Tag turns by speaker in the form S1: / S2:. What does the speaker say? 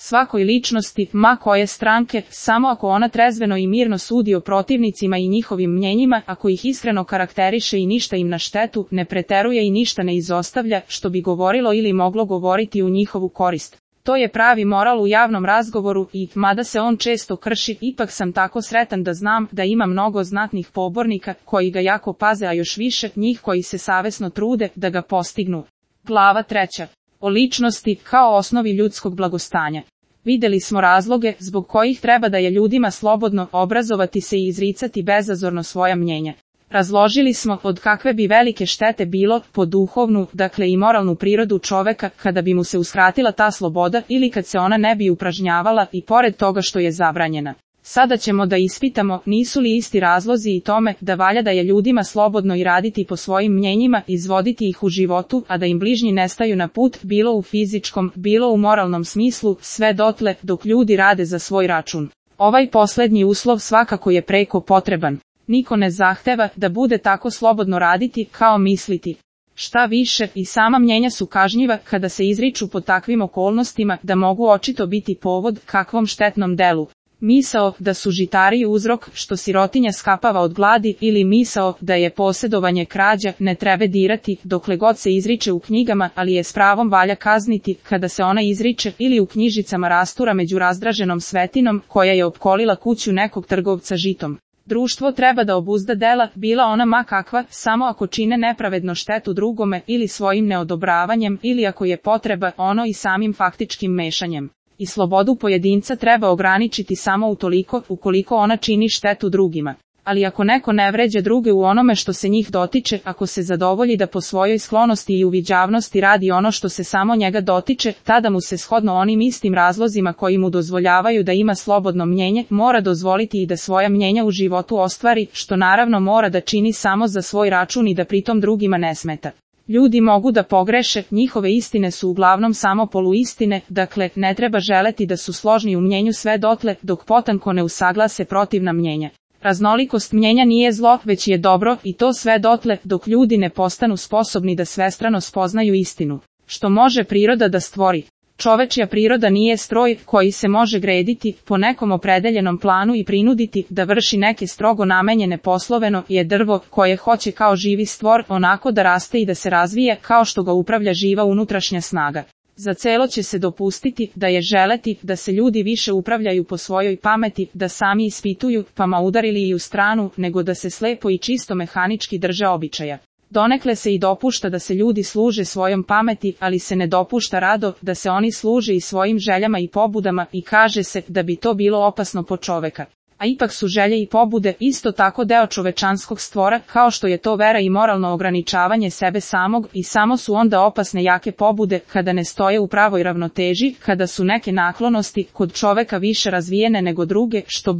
S1: svakoj ličnosti, ma koje stranke, samo ako ona trezveno i mirno sudi o protivnicima i njihovim mnjenjima, ako ih iskreno karakteriše i ništa im na štetu, ne preteruje i ništa ne izostavlja, što bi govorilo ili moglo govoriti u njihovu korist. To je pravi moral u javnom razgovoru i, mada se on često krši, ipak sam tako sretan da znam da ima mnogo znatnih pobornika koji ga jako paze, a još više njih koji se savesno trude da ga postignu. Glava 3. O ličnosti kao osnovi ljudskog blagostanja. Videli smo razloge zbog kojih treba da je ljudima slobodno obrazovati se i izricati bezazorno svoja mnjenja. Razložili smo od kakve bi velike štete bilo po duhovnu, dakle i moralnu prirodu čoveka, kada bi mu se uskratila ta sloboda ili kad se ona ne bi upražnjavala i pored toga što je zabranjena. Sada ćemo da ispitamo nisu li isti razlozi i tome da valja da je ljudima slobodno i raditi po svojim mnjenjima, izvoditi ih u životu, a da im bližnji ne staju na put, bilo u fizičkom, bilo u moralnom smislu, sve dotle dok ljudi rade za svoj račun. Ovaj poslednji uslov svakako je preko potreban. Niko ne zahteva da bude tako slobodno raditi kao misliti. Šta više, i sama mnjenja su kažnjiva kada se izriču pod takvim okolnostima da mogu očito biti povod kakvom štetnom delu. Misao da su žitari uzrok što sirotinja skapava od gladi ili misao da je posjedovanje krađa ne treba dirati dokle god se izriče u knjigama, ali je s pravom valja kazniti kada se ona izriče ili u knjižicama rastura među razdraženom svetinom koja je opkolila kuću nekog trgovca žitom. Društvo treba da obuzda dela, bila ona ma kakva, samo ako čine nepravedno štetu drugome ili svojim neodobravanjem ili ako je potreba ono i samim faktičkim mešanjem. I slobodu pojedinca treba ograničiti samo utoliko ukoliko ona čini štetu drugima. Ali ako neko ne vređa druge u onome što se njih dotiče, ako se zadovolji da po svojoj sklonosti i uviđavnosti radi ono što se samo njega dotiče, tada mu se shodno onim istim razlozima koji mu dozvoljavaju da ima slobodno mnjenje, mora dozvoliti i da svoja mnjenja u životu ostvari, što naravno mora da čini samo za svoj račun i da pritom drugima ne smeta. Ljudi mogu da pogreše, njihove istine su uglavnom samo poluistine, dakle, ne treba želeti da su složni u mnjenju sve dotle dok potanko ne usaglase protivna mnjenja. Raznolikost mnjenja nije zlo, već je dobro, i to sve dotle dok ljudi ne postanu sposobni da svestrano spoznaju istinu. Što može priroda da stvori? Čovečja priroda nije stroj koji se može grediti po nekom opredeljenom planu i prinuditi da vrši neke strogo namenjene posloveno, je drvo koje hoće kao živi stvor onako da raste i da se razvije kao što ga upravlja živa unutrašnja snaga. Za celo će se dopustiti da je želeti da se ljudi više upravljaju po svojoj pameti, da sami ispituju, pa ma udarili i u stranu, nego da se slepo i čisto mehanički drže običaja. Donekle se i dopušta da se ljudi služe svojom pameti, ali se ne dopušta rado da se oni služe i svojim željama i pobudama i kaže se da bi to bilo opasno po čoveka. A ipak su želje i pobude isto tako deo čovečanskog stvora, kao što je to vera i moralno ograničavanje sebe samog, i samo su onda opasne jake pobude kada ne stoje u pravoj ravnoteži, kada su neke naklonosti kod čoveka više razvijene nego druge, što